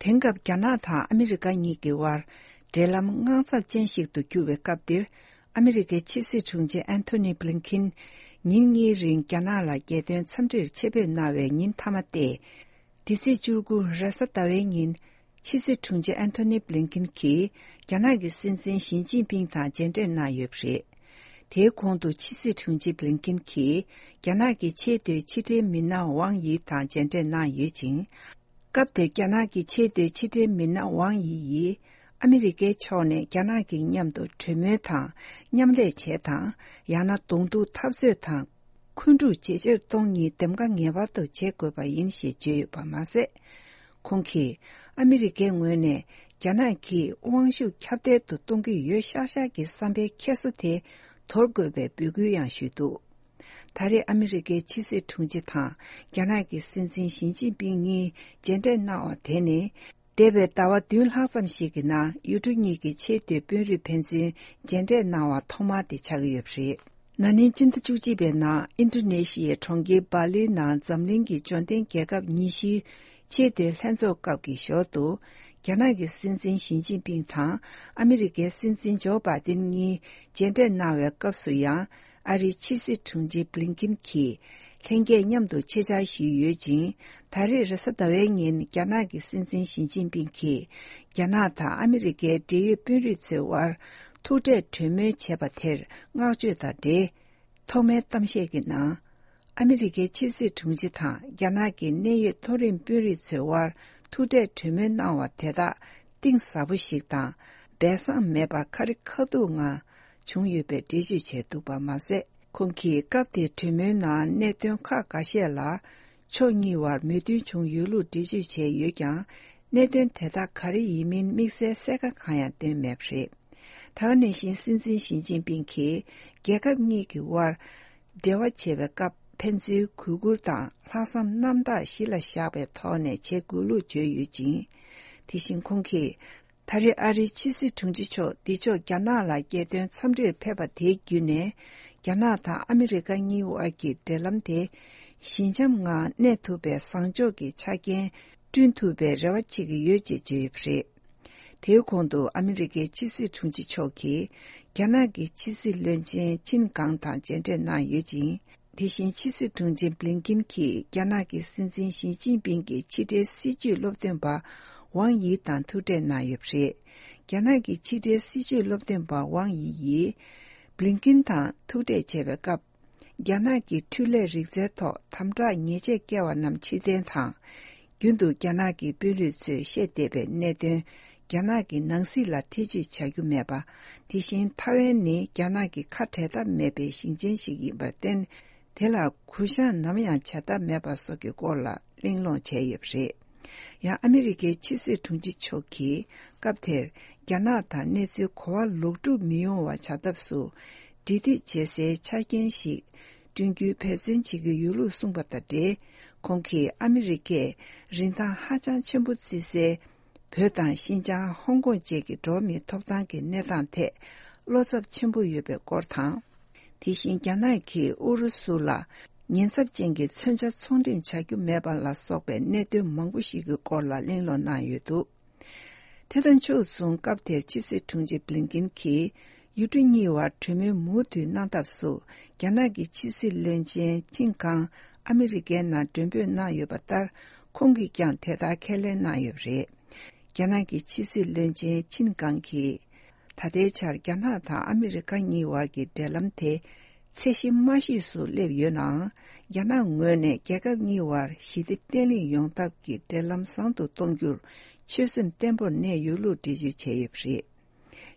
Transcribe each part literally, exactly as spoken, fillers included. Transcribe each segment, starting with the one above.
དེང་སྐབས་རྒྱ་ནག་དང་ཨ་མི་རི་ཀ་གཉིས་ཀྱི་དབར་འབྲེལ་ལམ་དངངས་འཚབ་ཅན་ཞིག་ཏུ་གྱུར་བའི་སྐབས་འདིར། ཨ་མི་རི་ཀའི་ཕྱི་སྲིད་དྲུང་ཆེ་ཨན་ཐོ་ནི་བྷི་ལིན་ཁིན་ཉིན་གཉིས་རིང་རྒྱ་ནག་ལ་རྒྱལ་དོན་འཚམས་འདྲིར་ཆེད་ཕེབས་གནང་བའི་ཉིན་མཐའ་མ་སྟེ། འདི་ཚེས་བཅུ་དགུ་རེས་གཟའ་ཟླ་བའི་ཉིན། ཕྱི་སྲིད་དྲུང་ཆེ་ཨན་ཐོ་ནི་བྷི་ལིན་ཁིན་གྱིས་རྒྱ་ནག་གི་སྲིད་འཛིན་ཞི་ཅིན་ཕིང་དང་མཇལ་འཕྲད་གནང་ཡོད་པ་རེད། དེའི་གོང་དུ་ཕྱི་སྲིད་དྲུང་ཆེ་བྷི་ལིན་ཁིན་གྱིས་རྒྱ་ནག་གི་ཆེས་མཐོའི་ཕྱི་འབྲེལ་མི་སྣ་ཝང་ཡི་དང་མཇལ་འཕྲད་གནང་ཡོད་ཅིང་། སྐབས་དེར་རྒྱ་ནག་གི་ཆེས་མཐོའི་ཕྱི་འབྲེལ་མི་སྣ་ཝང་ཡི་ཡིས་ཨ་མི་རི་ཀའི་ཕྱོགས་ནས་རྒྱ་ནག་གི་མཉམ་དུ་གྲོས་མོལ་དང་མཉམ་ལས་བྱེད་དང་། ཡང་ན་གདོང་ཐུག་འཐབ་རྩོད་དང་། འཁོན་འཁྲུག་ཇེ་ཆེར་གཏོང་ཉིད་འདེམས་ཀ་ངེས་པར་དུ་བྱེད་དགོས་པ་ཡིན་ཞེས་བརྗོད་ཡོད་པ་མ་ཟད། ཁོང་གིས་ཨ་མི་རི་ཀའི་ངོས་ནས་རྒྱ་ནག་གིས་དབང་ཤུགས་ཁྱབ་གདལ་དུ་གཏོང་གི་ཡོད་ཤག་ཤག་གི་བསམ་པའི་འཁྱེར་སོ་དེ་དོར་དགོས་པའི་འབོད་སྐུལ་ཡང་ཞུས་འདུག། ད་རེས་ཨ་མི་རི་ཀའི་ཕྱི་སྲིད་དྲུང་ཆེ་དང་རྒྱ་ནག་གི་སྲིད་འཛིན་ཞི་ཅིན་ཕིང་གཉིས་མཇལ་འཕྲད་གནང་བ་དེ་ནི། འདས་པའི་ཟླ་བ་བདུན་ལྷག་ཙམ་ཞིག་གི་ནང་ཡུལ་གྲུ་གཉིས་ཀྱི་ཆེས་མཐོའི་དཔོན་རིགས་ཕན་ཚུན་མཇལ་འཕྲད་གནང་བ་ཐོག་མ་དེ་ཆགས་ཀྱི་ཡོད་པ་རེད། ན་ནིང་སྤྱི་ཟླ་བཅུ་གཅིག་པའི་ནང་ཨིན་ཌོ་ནེ་ཤི་ཡའི་གྲོང་ཁྱེར་སྦ་ལིའི་ནང་འཛམ་གླིང་གི་འབྱོར་ལྡན་རྒྱལ་ཁབ་ཉི་ཤུའི་ཆེས་མཐོའི་ལྷན་ཚོགས་སྐབས་ཀྱི་ཞོར་དུ། རྒྱ་ནག་གི་སྲིད་འཛིན་ཞི་ཅིན་ཕིང་དང་ཨ་མི་རི་ཀའི་སྲིད་འཛིན་ཇོ་བྷའི་ཏིན་གཉིས་མཇལ་འཕྲད་གནང་བའི་སྐབས་སུ་ཡང་། ཨ་རིའི་ཕྱི་སྲིད་དྲུང་ཆེ་བྷི་ལིན་ཁིན་གྱིས་ལྷན་རྒྱས་མཉམ་དུ་ཆེད་བཅར་ཞུས་ཡོད་ཅིང་། ད་རེས་རེས་གཟའ་ཟླ་བའི་ཉིན་རྒྱ་ནག་གི་སྲིད་འཛིན་ཞི་ཅིན་ཕིང་གིས་རྒྱ་ནག་དང་ཨ་མི་རི་ཀའི་འབྲེལ་ཡོད་དཔོན་རིགས་ཚོའི་དབར་ཐུག་འཕྲད་གྲོས་མོལ་བྱས་པ་དེར་བསྔགས་བརྗོད་དང་འབྲེལ། ཐོག་མའི་གཏམ་བཤད་ཀྱི་ནང་། ཨ་མི་རི་ཀའི་ཕྱི་སྲིད་དྲུང་ཆེ་དང་རྒྱ་ནག་གི་གནད་ཡོད་མཐོ་རིམ་དཔོན་རིགས་ཚོའི་དབར་ཐུག་འཕྲད་གྲོས་མོལ་གནང་བ་དེ་དག་གཏིང་ཟབ་པོ་ཞིག་དང་། སྦས་གསང་མེད་པར་ཁ་རི་ཁ་ཐུག་ངང་བྱུང་ཡོད་པའི་འགྲེལ་བརྗོད་བྱས་འདུག་པ་མ་ཟད། ཁོང་གིས་སྐབས་དེའི་གྲོས་མོལ་ནང་གནད་དོན་ཁག་འགའ་ཤས་ལ་ཕྱོགས་གཉིས་བར་མོས་མཐུན་བྱུང་ཡོད་ལུགས་འགྲེལ་བརྗོད་བྱས་ཡོད་ཀྱང་། གནད་དོན་དེ་དག་ག་རེ་ཡིན་མིན་དམིགས་བསལ་གསལ་ཁ་གང་ཡང་བཏོན་མེད་པ་རེད། ད་ག་ནང་བཞིན་སྲིད་འཛིན་ཞི་ཅིན་ཕིང་གིས་རྒྱལ་ཁབ་གཉིས་ཀྱི་དབར་འབྲེལ་བ་བྱེད་པའི་སྐབས་ཕན་ཚུན་གུས་བཀུར་དང་ལྷག་བསམ་རྣམ་དག་གཞི་ལ་བཞག་པའི་ཐོག་ནས་བྱེད་དགོས་ལུགས་བརྗོད་ཡོད་ཅིང་། དེ་བཞིན་ཁོང་གིས། ད་རེས་ཨ་རིའི་ཕྱི་སྲིད་དྲུང་ཆེ་མཆོག་འདི་ཕྱོགས་རྒྱ་ནག་ལ་རྒྱལ་དོན་འཚམས་འདྲིར་ཕེབས་པ་དེའི་བརྒྱུད་ནས། རྒྱ་ནག་དང་ཨ་མི་རི་ཀ་གཉིས་དབར་གྱི་འབྲེལ་ལམ་དེ་ཞི་འཇམ་ངང་གནས་ཐུབ་པའི་བཟང་ཕྱོགས་ཀྱི་ཆ་རྐྱེན་བསྐྲུན་ཐུབ་པའི་རེ་བ་བྱེད་ཀྱི་ཡོད་ཅེས་བརྗོད་ཡོད་པ་རེད། དེའི་གོང་དུ་ཨ་མི་རི་ཀའི་ཕྱི་སྲིད་དྲུང་ཆེ་མཆོག་གིས་རྒྱ་ནག་གི་ཕྱི་སྲིད་བློན་ཆེན་ཆིན་ཀང་དང་མཇལ་འཕྲད་གནང་ཡོད་ཅིང་། དེ་བཞིན་ཕྱི་སྲིད་དྲུང་ཆེ་བྷི་ལིན་ཀིན་གྱིས་རྒྱ་ནག་གི་སྲིད་འཛིན་ཞི་ཅིན་ཕིང་གི་ཕྱི་འབྲེལ་སྲིད་བྱུས་སློབ་སྟོན་པ་ཝང་ཡི་དང་ཐུག་འཕྲད་གནང་ཡོད་པ་རེད། རྒྱ་ནག་གི་ཕྱི་འབྲེལ་སྲིད་བྱུས་སློབ་སྟོན་པ་ཝང་ཡི་ཡིས་བྷི་ལིན་ཀིན་དང་ཐུག་འཕྲད་བྱས་པའི་སྐབས། རྒྱ་ནག་གི་འཕྲུལ་ལས་རིག་རྩལ་ཐོག་དམ་དྲག་ཉེས་ཆད་བཀལ་བ་རྣམས་ཕྱིར་འཐེན་དང་། རྒྱུན་དུ་རྒྱ་ནག་གི་དཔོན་རིགས་ཚོས་བཤད་བསྡད་པའི་གནད་དོན། རྒྱ་ནག་གི་ནང་སྲིད་ལ་ཐེ་ཇུས་བྱ་རྒྱུ་མེད་པ། དེ་བཞིན་ཐའེ་ཝན་ནི་རྒྱ་ནག་གི་ཁ་བྲལ་ཐབས་མེད་པའི་ཞིང་ཆེན་ཞིག་ཡིན་པར་བརྟེན། དེ་ལ་གུ་བཤངས་ནམ་ཡང་བྱ་ཐབས་མེད་པ་སོགས་ཀྱི་སྐོར་ལ་གླེང་སློང་བྱས་ཡོད་པ་རེད། ཡང་ཨ་མི་རི་ཀའི་ཕྱི་སྲིད་དྲུང་ཆེ་མཆོག་གིས་སྐབས་དེར་རྒྱ་ནག་དང་གནས་ཚུལ་གོ་བ་ལོག་སྒྲུབ་མི་ཡོང་བ་བྱ་ཐབས་སུ་འབྲེལ་མཐུད་བྱེད་སའི་ཆ་རྐྱེན་ཞིག་བསྐྲུན་རྒྱུའི་འབད་བརྩོན་བྱེད་ཀྱི་ཡོད་ལུགས་གསུངས་པ་དང་འབྲེལ། ཁོང་གིས་ཨ་མི་རི་ཀས་རིན་ཐང་ཧ་ཅང་ཆེན་པོ་བརྩི་སའི་བོད་དང་ཤིན་ཅང་། ཧོང་ཀོང་བཅས་ཀྱི་འགྲོ་བ་མིའི་ཐོབ་ཐང་གི་གནས་སྟངས་ཐད་བློ་འཚབ་ཆེན་པོ་ཡོད་པའི་སྐོར་དང་། དེ་བཞིན་རྒྱ་ནག་གིས་ཨུ་རུ་སུ་ལ་ཉེན་ཚབས་ཅན་གྱི་མཚོན་ཆ་ཚོང་འགྲེམས་བྱ་རྒྱུ་མེད་པ་ལ་སོགས་པའི་གནད་དོན་མང་པོ་ཞིག་གི་སྐོར་ལ་གླེང་སློང་གནང་ཡོད་འདུག། དེ་དང་ཕྱོགས་མཚུངས་སྐབས་དེར་ཕྱི་སྲིད་དྲུང་ཆེ་བྷི་ལིན་ཀིན་གྱིས་ཡུལ་གྲུ་གཉིས་བར་གྲོས་མོལ་མུ་མཐུད་གནང་ཐབས་སུ་རྒྱ་ནག་གི་ཕྱི་སྲིད་བློན་ཆེན་ཆིན་ཀང་ཨ་མི་རི་ཀའི་ནང་མགྲོན་འབོད་གནང་ཡོད་པ་ལྟར། ཁོང་གིས་ཀྱང་དེ་ལྟར་ཁས་ལེན་གནང་ཡོད་པ་རེད། རྒྱ་ནག་གི་ཕྱི་སྲིད་བློན་ཆེན་ཆིན་ཀང་གིས། ད་ལྟའི་ཆར་རྒྱ་ནག་དང་ཨ་མི་རི་ཀ་གཉིས་བར་གྱི་འབྲེལ་ལམ་དེ་ཚད་གཞི་དམའ་ཤོས་སུ་སླེབས་ཡོད་ནའང་། རྒྱ་ནག་ངོས་ནས་རྒྱལ་ཁབ་གཉིས་བར་ཞི་བདེ་བརྟན་ལྷིང་ཡོང་ཐབས་ཀྱི་འབྲེལ་ལམ་བཟང་དུ་གཏོང་རྒྱུར་ཆོད་སེམས་བརྟན་པོར་གནས་ཡོད་ལུགས་འགྲེལ་བརྗོད་བྱས་ཡོད་པ་རེད།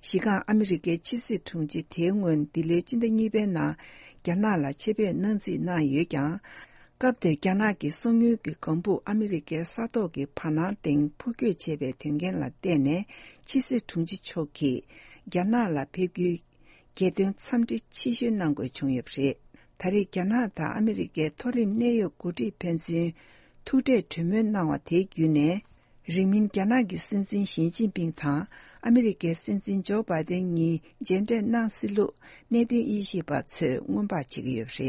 གཞི་རྐང་ཨ་མི་རི་ཀའི་ཕྱི་སྲིད་དྲུང་ཆེ་དེའི་སྔོན་འདི་ལོའི་སྤྱི་ཟླ་གཉིས་པའི་ནང་རྒྱ་ནག་ལ་ཆེད་ཕེབས་གནང་རྩིས་གནང་ཡོད་ཀྱང་། སྐབས་དེར་རྒྱ་ནག་གི་སོ་སྔོན་གྱི་ལྒང་བུ་ཨ་མི་རི་ཀའི་ས་ཐོག་གི་བར་སྣང་སྟེང་འཕུར་སྐྱོད་བྱས་པའི་དོན་རྐྱེན་ལ་བརྟེན་ནས། ཕྱི་སྲིད་དྲུང་ཆེ་མཆོག་གིས་རྒྱ་ནག་ལ་ཕེབས་རྒྱུའི་རྒྱལ་དོན་འཚམས་འདྲི་ཕྱི་བཤོལ་གནང་དགོས་བྱུང་ཡོད་པ་རེད། ད་རེས་རྒྱ་ནག་དང་ཨ་མི་རི་ཀའི་མཐོ་རིམ་གནད་ཡོད་འགོ་ཁྲིད་ཕན་ཚུན་ཐུག་འཕྲད་གྲོས་མོལ་གནང་བ་དེའི་བརྒྱུད་ནས། རིང་མིན་རྒྱ་ནག་གི་སྲིད་འཛིན་ཞི་ཅིན་ཕིང་དང་ཨ་མི་རི་ཀའི་སྲིད་འཛིན་ཇོ་བྷའི་ཏན་གཉིས་མཇལ་འཕྲད་གནང་སྲིད་ལུགས་གནད་དོན་དབྱེ་ཞིབ་པ་ཚོས་སྔོན་དཔག་བྱེད་ཀྱི་ཡོད་པ་རེད།